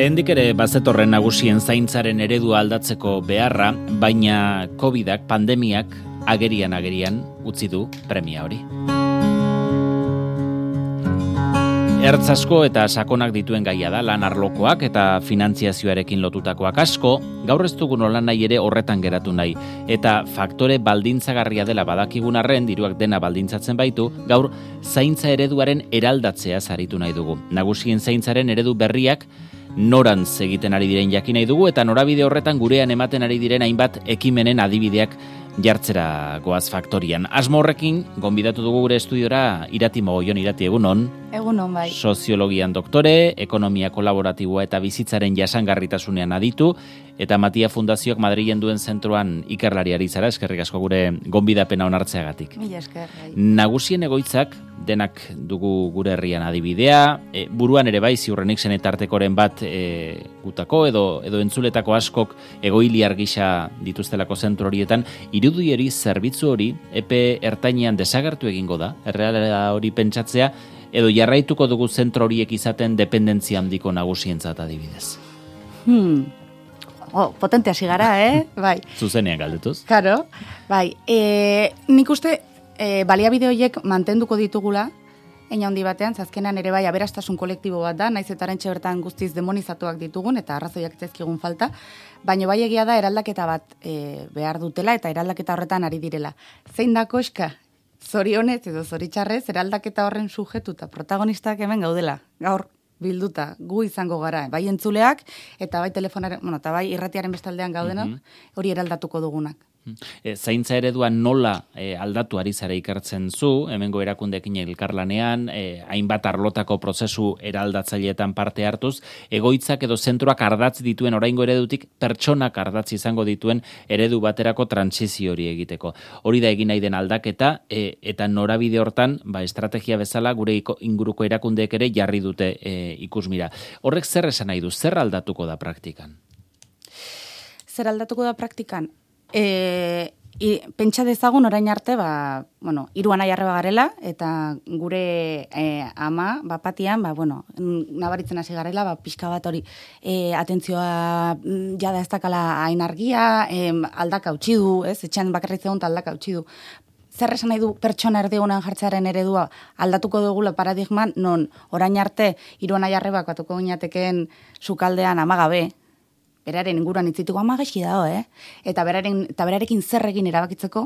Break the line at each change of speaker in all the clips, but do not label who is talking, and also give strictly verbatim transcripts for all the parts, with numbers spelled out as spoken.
Lehendik ere bazetorren nagusien zaintzaren eredua aldatzeko beharra, baina covidak, pandemiak, agerian agerian utzi du premia hori. Ertz asko eta sakonak dituen gaia da, lan arlokoak eta finantziazioarekin lotutakoak asko, gaur ez dugu nolan nahi ere horretan geratu nahi. Eta faktore baldintzagarria dela badakigun arren, diruak dena baldintzatzen baitu, gaur zaintza ereduaren eraldatzea zaritu nahi dugu. Nagusien zaintzaren eredu berriak norantz egiten ari diren jakin nahi dugu, eta norabide horretan gurean ematen ari diren hainbat ekimenen adibideak jartzera goaz faktorian. Asmo horrekin, gonbidatu dugu gure estudiora Irati Mogollon. Irati, egunon.
Egunon, bai.
Soziologian doktore, ekonomia kolaboratiboa eta bizitzaren jasangarritasunean aditu, eta Matia Fundazioak Madrilen duen zentroan ikerlariari zara, eskerrik asko gure gonbidapena onartzeagatik.
Mila esker, bai.
Nagusien egoitzak, denak dugu gure herrian adibidea, e, buruan ere bai ziurrenik zenetartekoren bat e, gutako edo edo entzuletako askok egoiliar gisa dituztelako zentro horietan, irudieri zerbitzu hori epe ertainean desagertu egingo da, erreala hori pentsatzea, edo jarraituko dugu zentro horiek izaten dependentzia handiko nagusientzat adibidez.
Hmm. Oh, potente hasi gara, eh? Bai.
Zuzenean galdetuz.
Claro. Bai. E, nik uste e, baliabide horiek mantenduko ditugula, eina handi batean, zazkenan ere bai aberastasun kolektibo bat da, naiz eta arentxe bertan guztiz demonizatuak ditugun, eta arrazoiak zaizkigun falta, baina bai egia da eraldaketa bat e, behar dutela, eta eraldaketa horretan ari direla. Zein da koska? Zorionez edo zoritxarrez, eraldaketa horren sujetu eta protagonistak hemen gaudela, gaur bilduta, gu izango gara, bai entzuleak, eta bai telefonaren, bueno, eta bai irratiaren bestaldean gaudena, mm-hmm. hori eraldatuko dugunak.
E, zaintza eredua nola e, aldatu ari zara ikertzen zu, hemengo erakundeekin elkarlanean, e, hainbat arlotako prozesu eraldatzaileetan parte hartuz, egoitzak edo zentroak ardatz dituen oraingo eredutik pertsonak ardatz izango dituen eredu baterako trantsizio hori egiteko. Hori da egin nahi den aldaketa, e, eta norabide hortan, ba, estrategia bezala gure inguruko erakundeek ere jarri dute e, ikusmira. Horrek zer esan nahi du, zer aldatuko da praktikan?
Zer aldatuko da praktikan? E, i, pentsa dezagun orain arte, ba, bueno, hiru anai arreba garela, eta gure e, ama, bapatian, ba, bueno, nabaritzen hasi garela, ba, pixka bat hori, e, atentzioa jada ez dakala hain argia, e, aldaka utzi du, ez, etxean bakarrik zegoen aldaka utzi du. Zer esan nahi du pertsona erdigunan jartzearen eredua aldatuko dugula paradigman, non orain arte hiru anai arrebak batuko ginetekeen sukaldean amagabe, beraren inguruan itzituko ama gaixi dago, eh? Eta, beraren, eta berarekin zer egin erabakitzeko,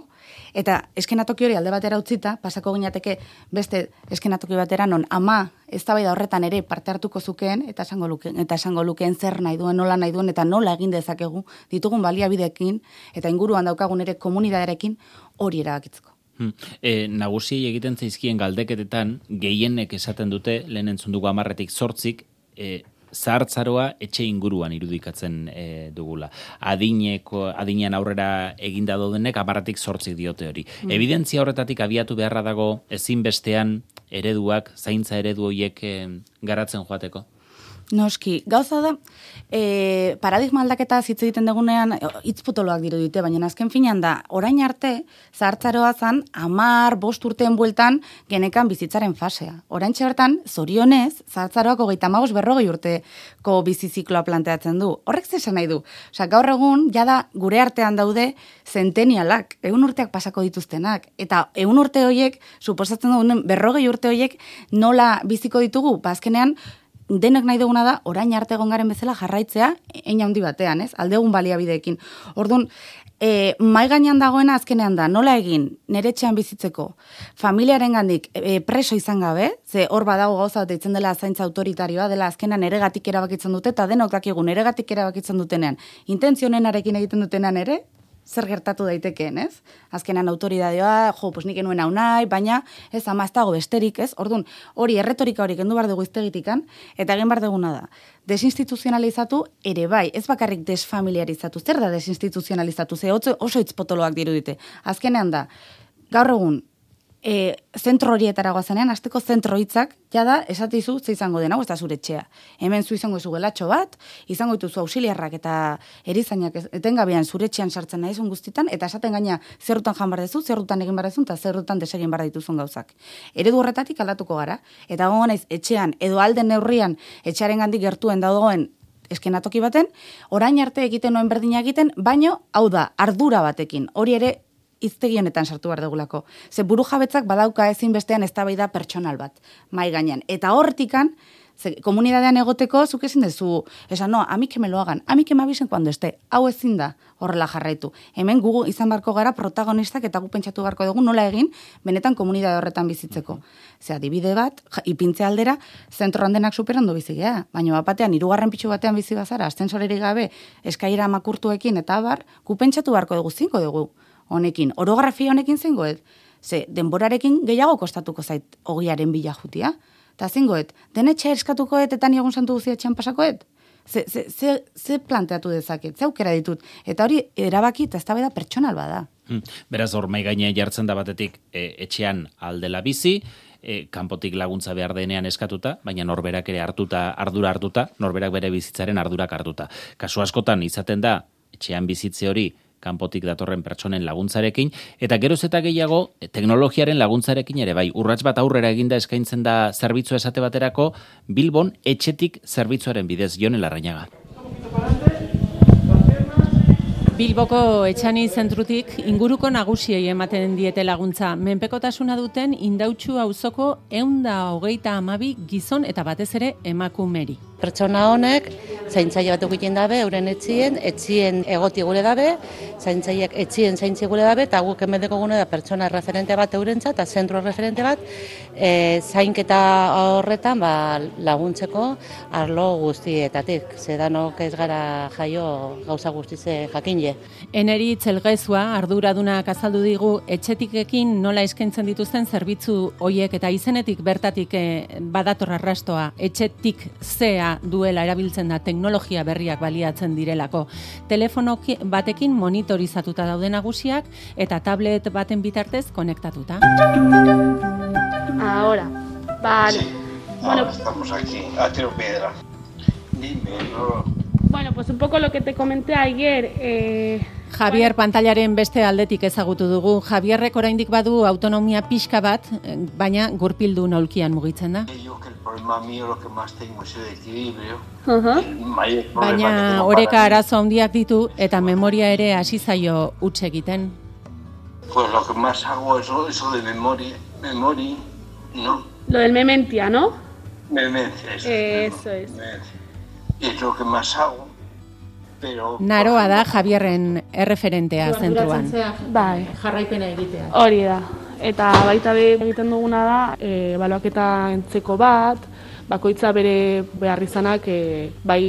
eta eskenatoki hori alde batera utzita, pasako ginateke beste eskenatoki batera non ama eztabaida horretan ere parte hartuko zukeen, eta esango lukeen, eta esango lukeen zer nahi duen, nola nahi duen, eta nola egin dezakegu, ditugun baliabideekin, eta inguruan daukagun ere komunidaderekin hori erabakitzeko.
Hmm. E, nagusiei egiten zaizkien galdeketetan, gehienek esaten dute, lehen entzun dugu hamarretik zortzik, e, zahartzaroa etxe inguruan irudikatzen e, dugula. Adineko, adinean aurrera eginda daudenek hamarretik zortzik diote hori. Mm. Evidentzia horretatik abiatu beharra dago ezinbestean ereduak, zaintza eredu horiek e, garatzen joateko?
Noski, gauza da, e, paradigma aldaketa hitz egiten dugunean hitz potoloak dirudite, baina azken finean da, orain arte, zahartzaroa zan, amar, bost urteen bueltan, genekan bizitzaren fasea. Orain bertan, zorionez, zahartzaroak hogeita hamabost berrogei urteko bizizikloa planteatzen du. Horrek zesan nahi du. Osa, gaur egun, jada gure artean daude zentenialak, egun urteak pasako dituztenak, eta egun urte horiek, suposatzen duen berrogei urte horiek, nola biziko ditugu, bazkenean, denek nahi duguna da, orain arte egon garen bezala jarraitzea, ein handi batean, ez? Aldegun baliabideekin. Orduan, e, mai gainean dagoena azkenean da, nola egin, nere etxean bizitzeko, familiaren gandik e, preso izan gabe, ze hor badago gauza bat eitzen dela zaintza autoritarioa, dela azkenean neregatik erabakitzen dute, eta denok dakigu neregatik erabakitzen dutenean, intentzionenarekin egiten dutenean ere, zer gertatu daitekeen, ez? Azkenan autoridadioa, jo, pues nik enuen hau nahi, baina ez ama ez dago besterik, ez? Orduan, hori erretorika hori kendu behar dugu iztegitikan, eta egin behar duguna da. Desinstituzionalizatu ere bai, ez bakarrik desfamiliarizatu. Zer da desinstituzionalizatu? Ze oso hitz potoloak dirudite. Azkenean da, gaur egun, e, zentro horietara goazanean, azteko zentro hitzak, jada, esatizu, ze izango den, hau ez da zure etxea. Hemen zu izango izu gelatxo bat, izango dituzu ausiliarrak eta erizainak etengabean zure etxean sartzen nahizun guztitan, eta esaten gaina zerrutan jan bar dezu, zerrutan egin bar dezun, eta zerrutan desegin bar dituzun gauzak. Eredu horretatik aldatuko gara, eta gongo naiz etxean, edo alden neurrian, etxearen gandik gertuen dagoen eskenatoki baten, orain arte egiten noen berdina egiten, baino, hau da, ardura batekin, hori ere hiztegi honetan sartu behar dugulako. Ze buru jabetzak badauka ezin bestean eztabaida pertsonal bat, mai gainean. Eta hortikan, ze, komunidadean egoteko, zuk ezin dezu, esan, no, amik me lo hagan, amik me avisen cuando esté, hau ezin da horrela jarraitu. Hemen gu izan barko gara protagonistak eta gu pentsatu barko dugu nola egin, benetan komunidade horretan bizitzeko. Ze adibide bat, ipintze aldera, zentroan denak superondo bizigea, baina batean, hirugarren pitxu batean bizi bazara, ascensorerik gabe, eskaira makurtuekin eta abar, gu pentsatu barko dugu, zinko dugu honekin, orografia honekin zengoet, ze denborarekin gehiago kostatuko zait ogiaren bila jutia, eta zengoet, denetxe eskatukoet eta niegun santu guzia etxean pasakoet, ze, ze, ze, ze planteatu dezaket, ze aukera ditut, eta hori erabaki eta eztabaida pertsonal bada.
Hmm. Beraz, hor mai gainean jartzen da batetik e, etxean aldela bizi, e, kanpotik laguntza behar denean eskatuta, baina norberak ere hartuta, ardura hartuta, norberak bere bizitzaren ardurak hartuta. Kasu askotan izaten da, etxean bizitze hori, kanpotik datorren pertsonen laguntzarekin, eta geroz eta gehiago teknologiaren laguntzarekin ere bai. Urrats bat aurrera eginda eskaintzen da zerbitzua esate baterako, Bilbon etxetik zerbitzuaren bidez. Jon Larrañaga.
Bilboko Etxani zentrutik inguruko nagusiei ematen diete laguntza. Menpekotasuna duten Indautxu auzoko ehun eta hogeita hamabi gizon eta batez ere emakumeri.
Pertsona honek zaintzaile bat egiten dabe, euren etxien, etxien egoti gure dabe, zaintzaileak etxien zaintzi gure dabe, eta guk emedeko gune da pertsona referente bat eurentzat, eta zentro referente bat, e, zainketa horretan ba, laguntzeko arlo guztietatik. Zedanok ez gara jaio gauza guztize jakinle.
Eneri Txelgezua arduradunak azaldu digu etxetikekin nola eskaintzen dituzten zerbitzu hoiek eta izenetik bertatik eh, badator arrastoa etxetik zea duela erabiltzen da teknologia berriak baliatzen direlako. Telefono batekin monitorizatuta daude nagusiak eta tablet baten bitartez konektatuta.
Ahora, vale.
Sí. Bueno, ahora estamos aquí, a tiro piedra. Dime, no.
Bueno, pues un poco lo que te comenté ayer. Eh...
Javier pantailaren beste aldetik ezagutu dugu. Javierrek oraindik badu autonomia pixka bat, baina gurpildu naulkian mugitzen da.
Yo que el problema mío lo que más tengo es el equilibrio.
Uh-huh.
Baina oreka arazo handiak ditu eta memoria ere hasi zaio huts egiten.
Pues lo que más hago es eso de memoria, memoria, ¿no?
Lo del mementia, ¿no?
Memencia, eso,
eso es.
Memencia. Y es lo que más hago. Pero,
Naroa da Javierren erreferentea zentruan.
Bai,
jarraipena egitea.
Hori da. Eta baita be egiten duguna da, e, baloaketa entzeko bat, bakoitza bere behar izanak e, bai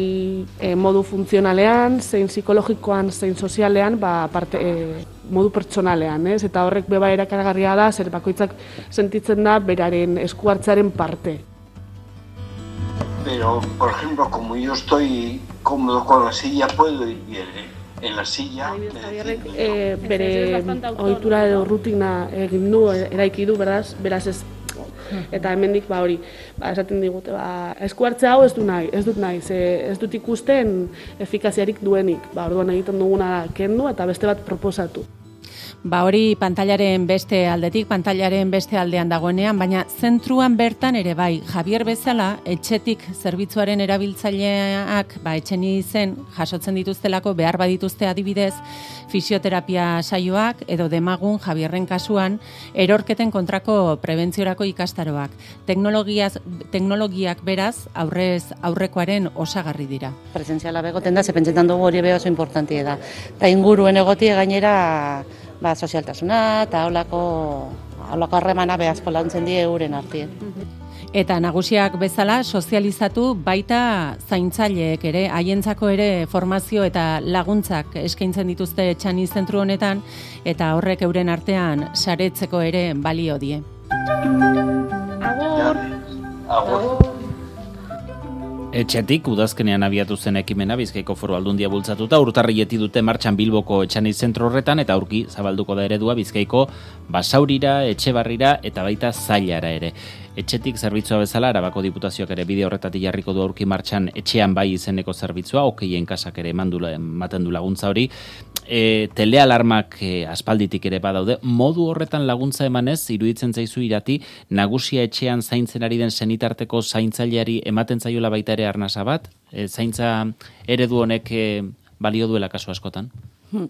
e, modu funtzionalean, zein psikologikoan, zein sozialean, ba, parte, e, modu pertsonalean, ez? Eta horrek beba erakargarria da, zer bakoitzak sentitzen da beraren esku hartzearen parte.
Pero, por ejemplo, como yo estoy cómodo con la silla, puedo ir bien, ¿eh? En la silla...
Javierrek eh, bere ohitura edo rutina egin du, eraiki du, beraz, beraz ez... Eta hemendik ba hori, ba, esaten digute, ba, esku hartze hau ez du nahi, ez dut nahi, ze ez dut ikusten efikaziarik duenik. Ba, orduan egiten duguna da kendu eta beste bat proposatu.
Ba hori pantailaren beste aldetik, pantailaren beste aldean dagoenean, baina zentruan bertan ere bai, Javier bezala, etxetik zerbitzuaren erabiltzaileak, ba etxen izen jasotzen dituztelako behar badituzte adibidez, fisioterapia saioak edo demagun Javierren kasuan, erorketen kontrako prebentziorako ikastaroak. Teknologiaz, teknologiak beraz, aurrez aurrekoaren osagarri dira.
Presentziala begoten da, ze pentsetan dugu hori beha oso importantia da. Eta inguruen egotie gainera, ba, sozialtasuna eta holako holako harremana behazko launtzen die euren artien.
Eta nagusiak bezala sozializatu baita zaintzaileek ere, haientzako ere formazio eta laguntzak eskaintzen dituzte Etxani zentru honetan, eta horrek euren artean saretzeko ere balio die.
Agur!
Agur!
Etxetik, udazkenean abiatu zen ekimena Bizkaiko Foru Aldundia bultzatuta, urtarrileti dute martxan Bilboko Etxani zentro horretan, eta aurki zabalduko da eredua Bizkaiko Basaurira, Etxebarrira eta baita Zailara ere. etxetik zerbitzua bezala, Arabako Diputazioak ere bide horretatik jarriko du aurki martxan etxean bai izeneko zerbitzua, okeien kasak ere ematen du laguntza hori. E, telealarmak e, aspalditik ere badaude, modu horretan laguntza emanez, iruditzen zaizu irati, nagusia etxean zaintzen ari den senitarteko zaintzaileari ematen zaiola baita ere arnasa bat? E, zaintza eredu honek e, balio duela kasu askotan?
Hmm.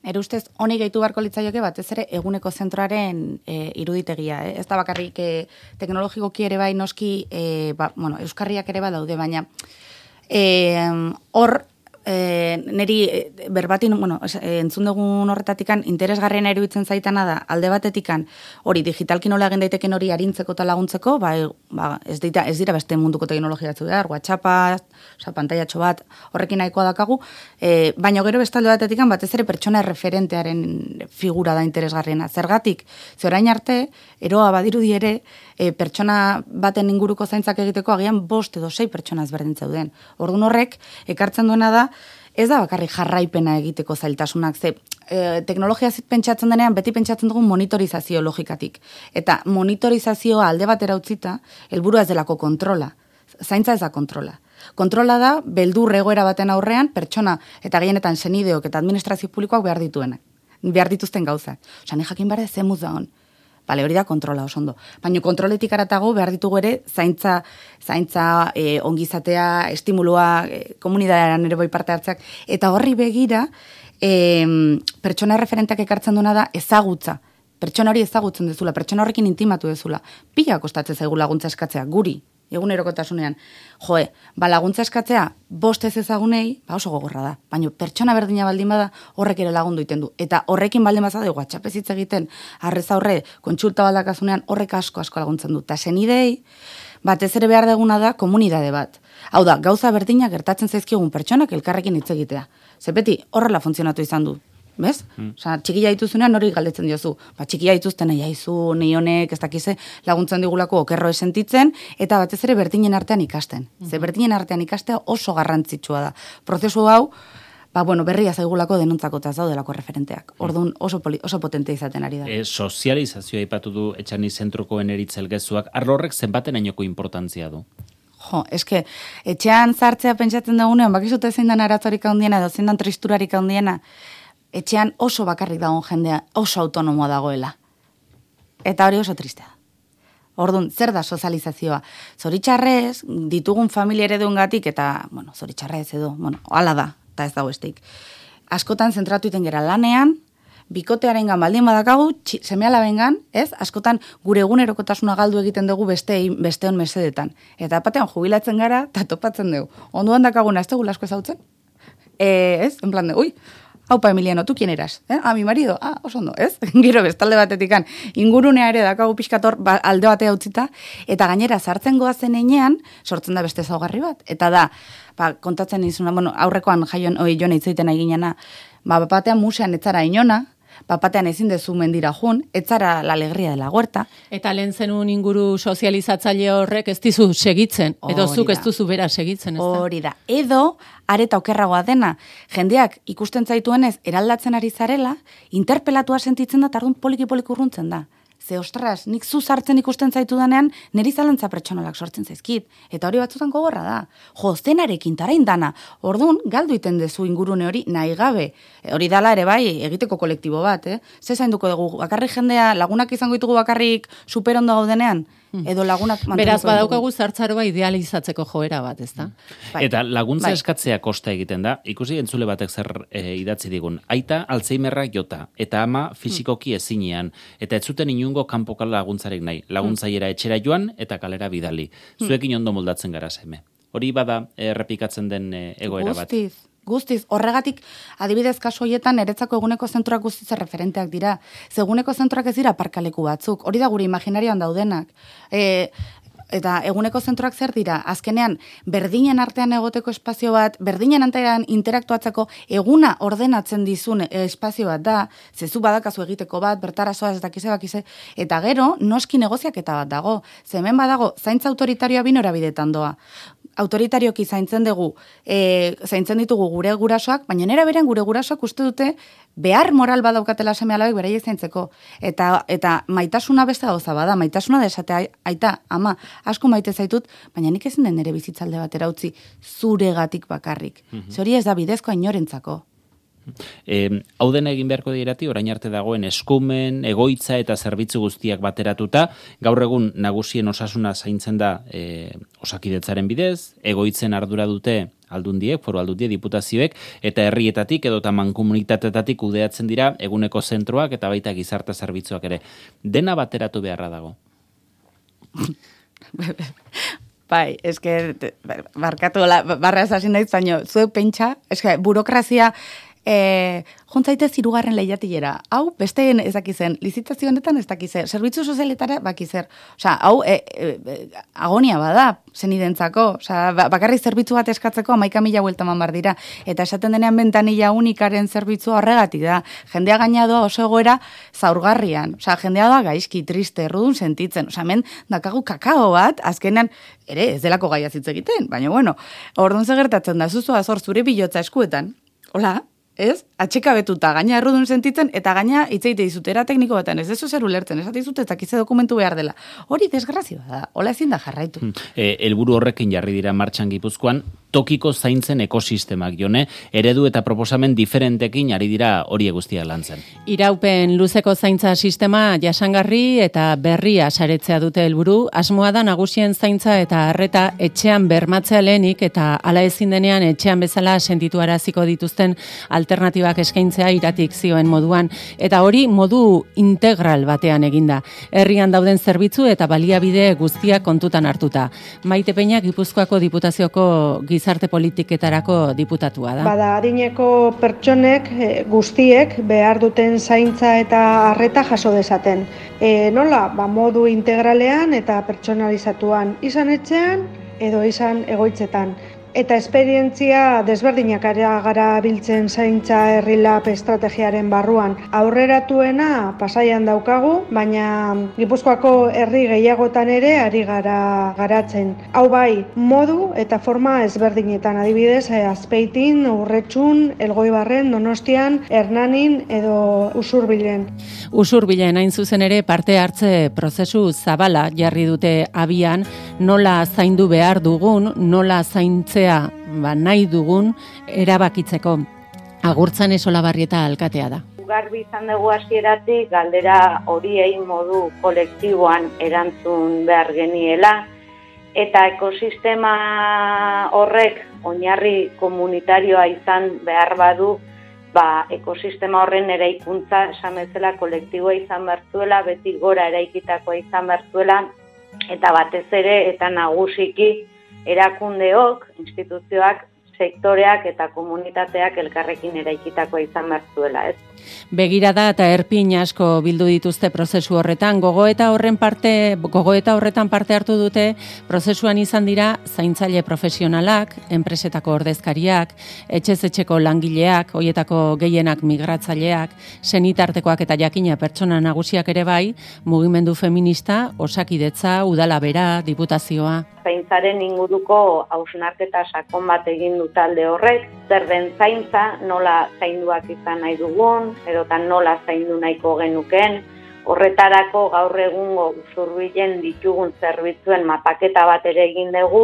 Ere ustez, honi gehitu barko litzaioke batez ere eguneko zentroaren e, iruditegia. Eh? Ez da bakarrik e, teknologikoki ere bai noski, e, ba, bueno, euskarriak ere badaude, baina hor, e, E, neri e, berbatin, bueno, entzun dugun horretatikan interesgarriena iruditzen zaitana da, alde batetikan hori digitalki nola egin daiteken hori arintzeko eta laguntzeko, ba, ba, ez, dira, ez dira beste munduko teknologia batzu behar, WhatsAppa, oza, pantailatxo bat, horrekin nahikoa dakagu, e, baina gero beste alde batetikan batez ere pertsona referentearen figura da interesgarriena. Zergatik, ze orain arte, eroa badirudi ere, e, pertsona baten inguruko zaintzak egiteko agian bost edo sei pertsona ezberdin zeuden. Orduan horrek, ekartzen duena da, ez da bakarrik jarraipena egiteko zailtasunak, ze e, teknologia pentsatzen denean beti pentsatzen dugu monitorizazio logikatik. Eta monitorizazioa alde batera utzita, helburua ez delako kontrola. Zaintza ez da kontrola. Kontrola da, beldur egoera baten aurrean, pertsona eta gehienetan senideok eta administrazio publikoak behar dituenak. Behar dituzten gauzak. Osa, ni jakin behar zemuz da hon. Bale, hori da kontrola, oso ondo. Baina kontroletik aratago behar ditugu ere zaintza, zaintza e, ongizatea, estimulua, e, komunidadean ere bai parte hartzeak. Eta horri begira, e, pertsona referenteak ekartzen duena da ezagutza. Pertsona hori ezagutzen dezula, pertsona horrekin intimatu dezula. Pila kostatzen zaigu laguntza eskatzea, guri, egunerokotasunean. Joe, ba laguntza eskatzea, bost ez ezagunei, ba oso gogorra da. Baina pertsona berdina baldin bada horrek ere lagundu egiten du. Eta horrekin baldin bazade, WhatsApp ez hitz egiten, arrez aurre, kontsulta baldakasunean, horrek asko asko laguntzen du. Ta senidei, batez ere behar deguna da komunidade bat. Hau da, gauza berdina gertatzen zaizkigun pertsonak elkarrekin hitz egitea. Ze beti horrela funtzionatu izan du. Bez? Mm. Osa, txikia dituzunean hori galdetzen diozu. Ba, txikia dituzten nahi haizu, nahi honek, ez dakize, laguntzen digulako okerro esentitzen, eta batez ere berdinen artean ikasten. Mm. Ze berdinen artean ikastea oso garrantzitsua da. Prozesu hau, ba, bueno, berria zaigulako denontzako eta ez daudelako referenteak. Orduan oso, poli, oso potente izaten ari da.
E, sozializazioa aipatu du Etxani zentrokoen eritzelgezuak, arlo horrek zenbaten ainoko importantzia du?
Jo, eske, etxean zartzea pentsatzen dagunean, bakizute zein dan aratzorik handiena, edo zein dan tristurarik handiena, etxean oso bakarrik dagoen jendea, oso autonomoa dagoela. Eta hori oso tristea. Orduan, zer da sozializazioa? Zoritxarrez, ditugun familia ereduengatik eta, bueno, zoritxarrez edo, bueno, hala da, eta ez dago estik. Askotan zentratu iten gera lanean, bikotearen gan baldin badakagu, seme-ala bengan, ez? Askotan gure egunerokotasuna galdu egiten dugu beste, besteon mesedetan. Eta batean jubilatzen gara, eta topatzen dugu. Onduan dakaguna, ez dugu lasko ezautzen? E, ez? En plan de, ui, haupa Emiliano, tu kien eras? Eh? A mi marido? Ah, oso ondo, ez? Gero bestalde batetikan. Ingurunea ere dakagu pixkator ba, alde batea utzita, eta gainera sartzen goazen enean, sortzen da beste zaugarri bat. Eta da, ba, kontatzen izuna, bueno, aurrekoan jaion, oi, joan itzaiten eginena, ba, batean musean etzara inona, bapatean ezin dezu mendira jun, etzara la alegria de la huerta.
Eta lehen zenun inguru sozializatzaile horrek ez dizu segitzen, edo zuk ez duzu bera segitzen, ez da?
Hori da. Edo, areta okerragoa dena, jendeak ikusten zaituenez eraldatzen ari zarela, interpelatua sentitzen da, tardun poliki-poliki urruntzen da. Ze, ostras, nik zu sartzen ikusten zaitu danean, niri zalantza pertsonalak sortzen zaizkit. Eta hori batzutan gogorra da. Jo, zenarekin tarain dana. Orduan, galdu iten dezu ingurune hori nahi gabe. E, hori dala ere bai, egiteko kolektibo bat, eh? Ze zainduko dugu, bakarrik jendea, lagunak izango ditugu bakarrik superondo gaudenean? Edo lagunak
beraz badaukagu zartzaroa idealizatzeko joera bat, ez da?
Bai. Eta laguntza bai. Eskatzea kosta egiten da, ikusi entzule batek zer e, idatzi digun. Aita Alzheimerrak jota, eta ama fisikoki ezinean, eta ez zuten inungo kanpoko laguntzarek nahi. Laguntzaiera etxera joan eta kalera bidali. Zuekin ondo moldatzen gara seme. Hori bada errepikatzen den e, egoera bat.
Guztiz. Guztiz, horregatik, adibidez kasu horietan, eretzako eguneko zentroak guztiz referenteak dira. Zeguneko zentroak ez dira parkaleku batzuk, hori da gure imaginarioan daudenak. E, eta eguneko zentroak zer dira, azkenean berdinen artean egoteko espazio bat, berdinen artean interaktuatzeko eguna ordenatzen dizun espazio bat da, zezu badakazu egiteko bat, bertarazoa ez dakize bakize, eta gero noski negoziaketa bat dago, ze hemen badago zaintza autoritarioa bi norabidetan doa. Autoritarioki zaintzen dugu, e, zaintzen ditugu gure gurasoak, baina nera berean gure gurasoak uste dute behar moral badaukatela seme alabek beraiek zaintzeko. Eta, eta maitasuna beste gauza bada, maitasuna da esatea, aita, ama, asko maite zaitut, baina nik ezin den nere bizitzalde batera utzi zuregatik bakarrik. Mm-hmm. Zori ez da bidezkoa inorentzako.
E, hau dena egin beharko dirati, orain arte dagoen eskumen, egoitza eta zerbitzu guztiak bateratuta, gaur egun nagusien osasuna zaintzen da e, osakidetzaren bidez, egoitzen ardura dute aldundiek, foru aldundiek, diputazioek, eta herrietatik edo mankomunitatetatik kudeatzen dira eguneko zentroak eta baita gizarte zerbitzuak ere. Dena bateratu beharra dago.
Bai, eske, barkatu, barra esasin naiz, baina zuek pentsa, eske, burokrazia, E, jontzaite zirugarren lehiatilera. Hau, besteen ez dakizen, lizitazio honetan ez dakizen, zerbitzu sozialetara bakizer. Osa, hau, e, e, agonia bada, zenidentzako. Osa, bakarrik zerbitzu bat eskatzeko amaika mila buelta man bar dira. Eta esaten denean bentanilla unikaren zerbitzu horregatik da. Jendea gainadoa oso egoera zaurgarrian. Osa, jendea da gaizki, triste, errudun sentitzen. Osa, hemen dakagu kakao bat, azkenean, ere, ez delako gaia hitz egiten. Baina, bueno, orduan gertatzen da, zuzu azor zure bilotza eskuetan. Hola, ez? Atxekabetuta, gaina errudun sentitzen, eta gaina itzeite dizutera tekniko batean, ez dezu zer ulertzen, ez dizut ez dakize dokumentu behar dela. Hori desgrazioa da, hola ezin da jarraitu.
E, helburu horrekin jarri dira martxan Gipuzkoan, tokiko zaintzen ekosistemak, Jone, eredu eta proposamen diferentekin ari dira hori guztiak lantzen.
Iraupen luzeko zaintza sistema jasangarri eta berria saretzea dute helburu, asmoa da nagusien zaintza eta arreta etxean bermatzea lehenik eta hala ezin denean etxean bezala sentitu araziko dituzten alternatibak eskaintzea iratik zioen moduan, eta hori modu integral batean eginda. Herrian dauden zerbitzu eta baliabide guztiak kontutan hartuta. Maite Peña Gipuzkoako Diputazioko gizarte politiketarako diputatua da.
Bada, adineko pertsonek guztiek behar duten zaintza eta arreta jaso dezaten. E, nola, ba, modu integralean eta pertsonalizatuan, izan etxean edo izan egoitzetan. Eta esperientzia desberdinak gara biltzen zaintza herrilap estrategiaren barruan. Aurreratuena Pasaian daukagu, baina Gipuzkoako herri gehiagotan ere ari gara garatzen. Hau bai, modu eta forma ezberdinetan, adibidez, Azpeitin, Urretxun, Elgoibarren, Donostian, Hernanin edo Usurbilen.
Usurbilen hain zuzen ere parte hartze prozesu zabala jarri dute abian, nola zaindu behar dugun, nola zaintzea ba, nahi dugun erabakitzeko. Agurtzan Esolabarrieta alkatea da.
Garbi izan dugu hasieratik galdera horiei modu kolektiboan erantzun behar geniela, eta ekosistema horrek oinarri komunitarioa izan behar badu, ba, ekosistema horren eraikuntza esan bezala kolektiboa izan behar zuela, beti gora eraikitakoa izan behar zuela, eta batez ere eta nagusiki erakundeok, instituzioak, sektoreak eta komunitateak elkarrekin eraikitakoa izan behar zuela, ez?
Begirada eta erpin asko bildu dituzte prozesu horretan, gogoeta horren parte, gogoeta horretan parte hartu dute, prozesuan izan dira zaintzaile profesionalak, enpresetako ordezkariak, etxez etxeko langileak, hoietako gehienak migratzaileak, senitartekoak eta jakina pertsona nagusiak ere bai, mugimendu feminista, osakidetza, udala bera, diputazioa.
Zaintzaren inguruko hausnarketa sakon bat egin du talde horrek, zer den zaintza, nola zainduak izan nahi dugun, edotan nola zaindu nahiko genuken, horretarako gaur egungo Usurbilen ditugun zerbitzuen mapaketa bat ere egin dugu,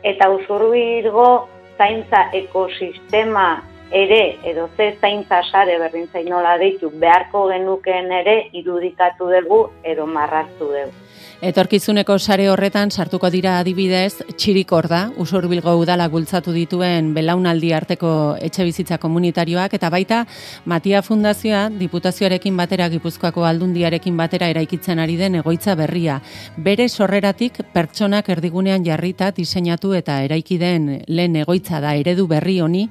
eta Usurbilgo zaintza ekosistema ere, edo ze zaintza sare berdin zain nola deitu beharko genukeen ere irudikatu dugu edo marraztu dugu.
Etorkizuneko sare horretan sartuko dira adibidez Txirikorda, Usurbilgo udala bultzatu dituen belaunaldi arteko etxebizitza komunitarioak, eta baita Matia Fundazioa Diputazioarekin batera Gipuzkoako Aldundiarekin batera eraikitzen ari den egoitza berria. Bere sorreratik pertsonak erdigunean jarrita diseinatu eta eraiki den lehen egoitza da eredu berri honi,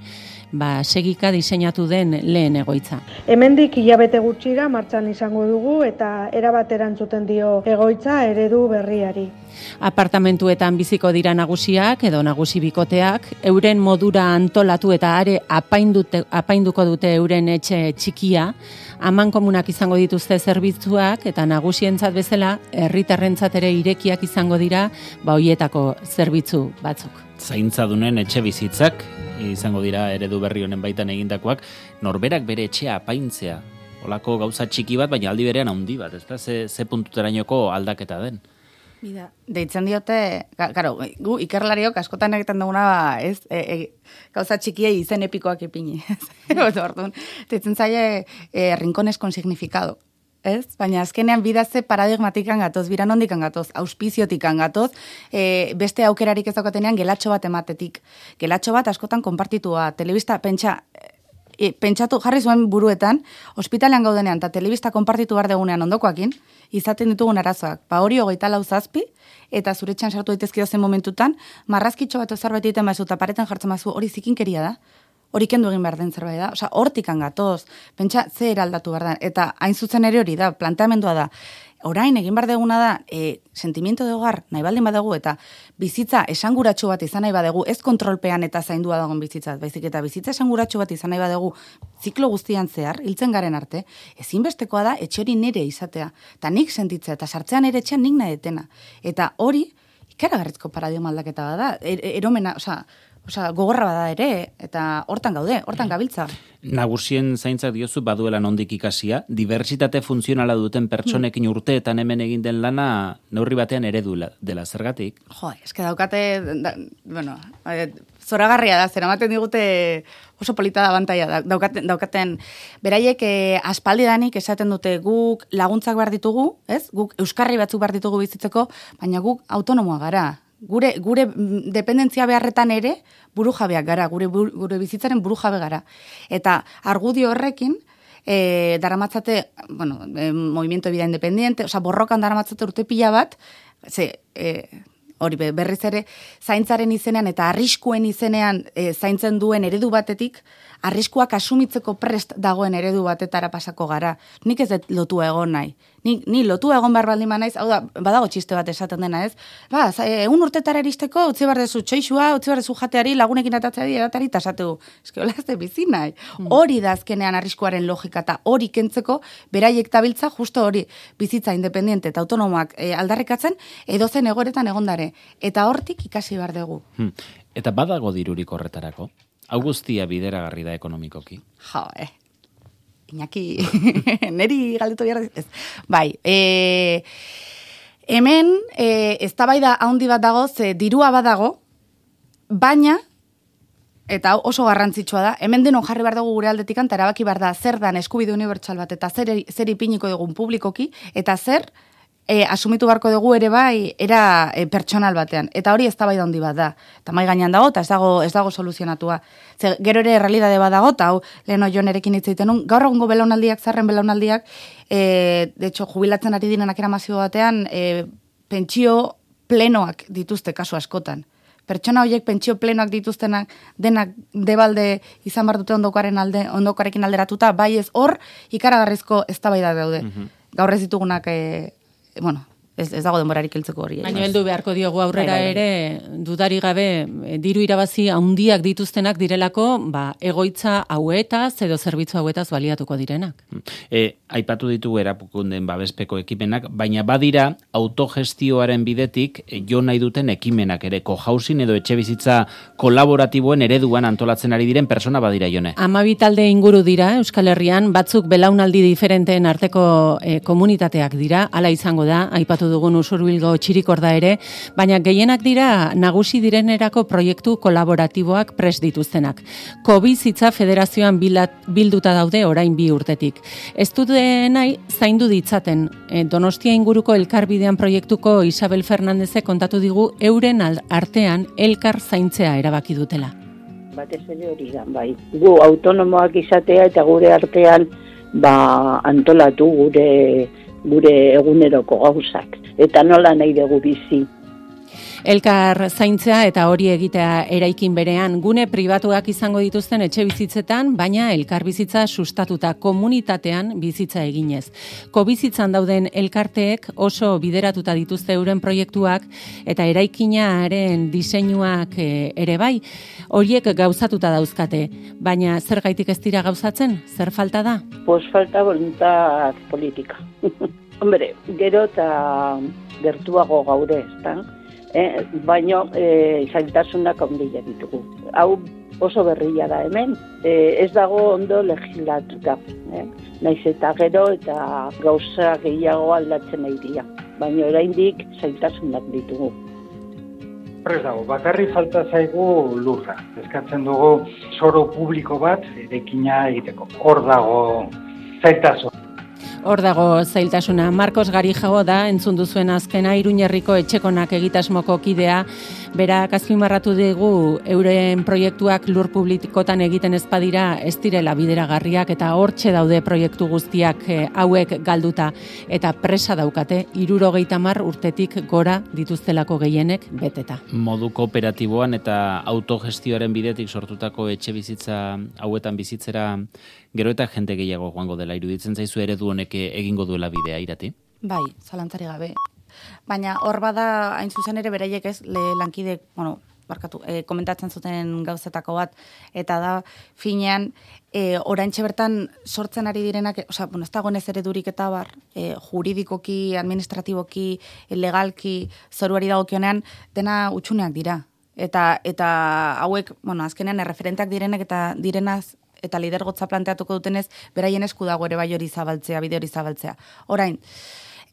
ba, segika diseinatu den lehen egoitza.
Hemendik hilabete gutxira martxan izango dugu eta erabat erantzuten dio egoitza eredu berriari.
Apartamentuetan biziko dira nagusiak edo nagusi bikoteak, euren modura antolatu eta are apaindute, apainduko dute euren etxe txikia, aman komunak izango dituzte zerbitzuak eta nagusientzat bezala herritarrentzat ere irekiak izango dira ba hoietako zerbitzu batzuk.
Zaintzadunen etxe bizitzak izango dira eredu berri honen baitan egindakoak, norberak bere etxea apaintzea. Olako gauza txiki bat, baina aldi berean handi bat, ezta? Ze, ze puntuterainoko aldaketa den.
Bida. Deitzen diote, claro, gu ikerlariok askotan egiten duguna, ba, ez, e, e, gauza txikiei izen epikoak ipini. Orduan, deitzen zaie e, rincones con significado. Ez? Baina azkenean bidaze paradigmatikan gatoz, biran hondikan gatoz, auspiziotikan gatoz, e, beste aukerarik ez daukatenean gelatxo bat ematetik. Gelatxo bat askotan konpartitua, telebista, pentsa, e, pentsatu jarri zuen buruetan, ospitalean gaudenean eta telebista konpartitu behar degunean ondokoakin, izaten ditugun arazoak. Ba hori hogeita lau zazpi, eta zure txan sartu daitezkio zen momentutan, marrazkitxo bat zerbait egiten bazu eta paretan jartzen bazu, hori zikinkeria da. Hori kendu egin behar den zerbait da. Osa, hortikan gatoz, pentsa ze eraldatu behar da. Eta hain zuzen ere hori da, planteamendua da. Orain egin behar deguna da, e, sentimiento de hogar nahi baldin badegu eta bizitza esanguratsu bat izan nahi badegu, ez kontrolpean eta zaindua dagoen bizitza, baizik eta bizitza esanguratsu bat izan nahi badegu, ziklo guztian zehar, hiltzen garen arte, ezinbestekoa da etxe hori nire izatea. Eta nik sentitzea, eta sartzean ere etxean nik nahi detena. Eta hori, ikaragarrizko paradigma aldaketa bada, er, eromena, osea, Osa, gogorra bada ere, eta hortan gaude, hortan gabiltza.
Nagusien zaintzak diozu baduela nondik ikasia, diversitate funtzionala duten pertsonekin urteetan hemen egin den lana neurri batean eredu dela, zergatik?
Jo, eske daukate, da, bueno, zoragarria da, zeramaten digute oso polita da bantaia, da, daukaten, daukaten beraiek eh, aspaldidanik esaten dute guk laguntzak behar ditugu, ez? Guk euskarri batzuk behar ditugu bizitzeko, baina guk autonomoa gara. Gure, gure dependentzia beharretan ere burujabeak gara, gure, gure bizitzaren burujabe gara. Eta argudio horrekin, e, daramatzate, bueno, e, movimiento de vida independiente, oza, borrokan daramatzate urte pila bat, ze, e, hori berriz ere, zaintzaren izenean eta arriskuen izenean e, zaintzen duen eredu batetik, arriskuak asumitzeko prest dagoen eredu batetara pasako gara. Nik ez dut lotua egon nahi. Ni, ni lotua egon behar baldin naiz, hau da, badago txiste bat esaten dena, ez? Ba, egun urtetara eristeko, utzi behar dezu txoixua, utzi behar dezu jateari, lagunekin atatzeari, eratari, eta esategu, eske hola ez de bizi nahi. Mm. Hori da azkenean arriskuaren logika, eta hori kentzeko, beraiek tabiltza, justo hori, bizitza independiente eta autonomoak e, aldarrikatzen, edozen egoretan egondare. Eta hortik ikasi behar dugu.
Hmm. Eta badago dirurik horretarako? Hau guztia bideragarri da ekonomikoki?
Jo, eh. Iñaki, neri galdetu behar ez. Bai, e, hemen e, eztabaida handi bat dago, ze dirua badago, baina, eta oso garrantzitsua da, hemen denon jarri behar dugu gure aldetikan, eta erabaki behar da zer dan eskubide unibertsal bat, eta zer, zer ipiniko dugun publikoki, eta zer E, asumitu barko dugu ere bai era e, pertsonal batean. Eta hori eztabaida handi bat da. Eta mai gainean dago, eta ez dago, ez dago soluzionatua. Ze, gero ere realidade bat dago, eta hau leheno jonerekin hitz egiten nun, gaur egungo belaunaldiak, zarren belaunaldiak, e, de hecho, jubilatzen ari direnak eramazio batean, e, pentsio plenoak dituzte kasu askotan. Pertsona horiek pentsio plenoak dituztenak denak debalde izan bar dute ondokaren alde, ondokarekin alderatuta, bai ez hor ikaragarrizko eztabaida daude. Mm-hmm. Gaur ez ditugunak e, bueno, ez, ez dago denborarik heltzeko hori.
Baina heldu beharko diogu aurrera bai, bai, bai. ere, dudari gabe, diru irabazi handiak dituztenak direlako, ba, egoitza hauetaz edo zerbitzu hauetaz baliatuko direnak.
E, aipatu ditugu erapukunden babespeko ekimenak, baina badira autogestioaren bidetik jo nahi duten ekimenak ere, cohousing edo etxe bizitza kolaboratiboen ereduan antolatzen ari diren persona badira jone.
Hamabi talde inguru dira Euskal Herrian, batzuk belaunaldi diferenteen arteko e, komunitateak dira, hala izango da, aipatu dugun Usurbilgo txirikorda ere, baina gehienak dira nagusi direnerako proiektu kolaboratiboak prest dituztenak. Kobizitza Federazioan bilduta daude orain bi urtetik. Ez dute nahi zaindu ditzaten. E, Donostia inguruko elkarbidean proiektuko Isabel Fernandezek kontatu digu euren artean elkar zaintzea erabaki dutela.
Batez ere hori da, bai. Gu autonomoak izatea eta gure artean ba, antolatu gure gure eguneroko gauzak, eta nola nahi dugu bizi.
Elkar zaintzea eta hori egitea eraikin berean, gune pribatuak izango dituzten etxe bizitzetan, baina elkar bizitza sustatuta komunitatean bizitza eginez. Kobizitzan dauden elkarteek oso bideratuta dituzte euren proiektuak eta eraikinaren diseinuak ere bai, horiek gauzatuta dauzkate, baina zergaitik ez dira gauzatzen? Zer falta da?
Pues falta voluntad política. Hombre, gero eta gertuago gaude, ezta? Eh, baino eh, zailtasunak handia ditugu. Hau oso berria da hemen, eh, ez dago ondo legislatuta. Eh? Naiz eta gero eta gauza gehiago aldatzen nahi dira. Baina oraindik zailtasunak ditugu.
Horrez dago, bakarri falta zaigu lurra. Eskatzen dugu soro publiko bat erekina egiteko. Hor dago zailtasun.
Hor dago zailtasuna. Marcos Garijago da, entzun duzuen azkena, Iruñerriko etxekonak egitasmoko kidea. Berak azpimarratu dugu euren proiektuak lur publikotan egiten ez badira ez direla bideragarriak eta hortxe daude proiektu guztiak eh, hauek galduta eta presa daukate hirurogeita hamar urtetik gora dituztelako gehienek beteta.
Modu kooperatiboan eta autogestioaren bidetik sortutako etxe bizitza hauetan bizitzera gero eta jende gehiago joango dela iruditzen zaizu eredu honek egingo duela bidea, Irati?
Bai, zalantzari gabe. Baina hor bada hain zuzen ere beraiek ez le lankide, bueno, barkatu, e, komentatzen zuten gauzetako bat, eta da finean e, oraintxe bertan sortzen ari direnak, osea, bueno, ez dagoenez eredurik eta bar, e, juridikoki, administratiboki, legalki, zoruari dagokionean, dena utxuneak dira. Eta eta hauek, bueno, azkenean erreferenteak direnek eta direnaz eta lidergotza planteatuko dutenez, beraien esku dago ere bai hori zabaltzea, bide hori zabaltzea. Orain,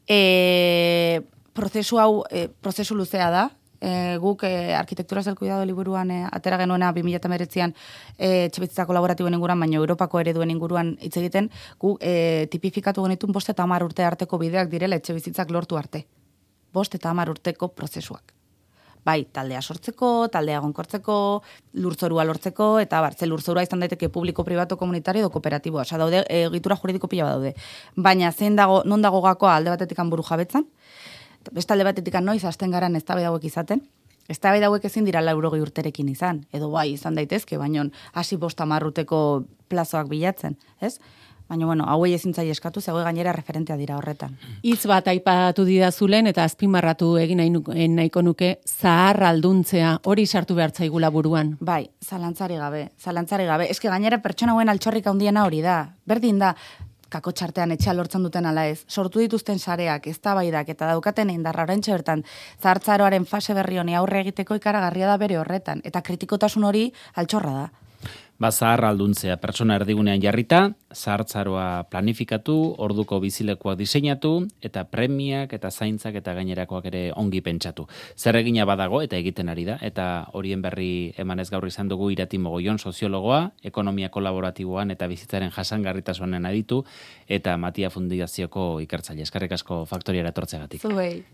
e, prozesu hau, e, prozesu luzea da, e, guk e, Arkitekturas del Cuidado liburuan e, atera genuena bi mila hemeretzian e, etxebizitza kolaboratiboen inguruan, baina Europako ereduen inguruan hitz egiten, gu e, tipifikatu genitun bost eta hamar urte arteko bideak direla etxebizitzak lortu arte. Bost eta hamar urteko prozesuak. Bai, taldea sortzeko, taldea egonkortzeko, lurzorua lortzeko, eta bartze lurzorua izan daiteke publiko, pribato, komunitario edo kooperatiboa. Osa, daude, egitura juridiko pila daude. Baina, zein dago, non dago gakoa alde batetik buru jabetzan, beste alde batetik noiz hasten garan eztabaida hauek izaten, eztabaida hauek ezin dira laurogei urterekin izan, edo bai izan daitezke, baina hasi bost hamar urteko plazoak bilatzen, ez? Baina, bueno, hauei ezin zaie eskatu, zegoe gainera referentea dira horretan.
Hitz bat aipatu didazulen eta azpimarratu egin nahi, nahiko nuke zahar alduntzea, hori sartu behar zaigula buruan.
Bai, zalantzari gabe, zalantzari gabe. Eske gainera pertsona hauen altxorrik handiena hori da. Berdin da, kakotxartean etxea lortzen duten ala ez. Sortu dituzten sareak, eztabaidak eta daukaten indarra oraintxe bertan zahartzaroaren fase berri honi aurre egiteko ikaragarria da bere horretan. Eta kritikotasun hori altxorra da.
Ba, zahar alduntzea, pertsona erdigunean jarrita, zahartzaroa planifikatu, orduko bizilekuak diseinatu, eta premiak eta zaintzak eta gainerakoak ere ongi pentsatu. Zer egina badago eta egiten ari da, eta horien berri emanez gaur izan dugu Irati Mogollon soziologoa, ekonomia kolaboratiboan eta bizitzaren jasangarritasunen aditu, eta Matia Fundazioko ikertzaile. Eskerrik asko Faktoriara etortzeagatik.
Zuei.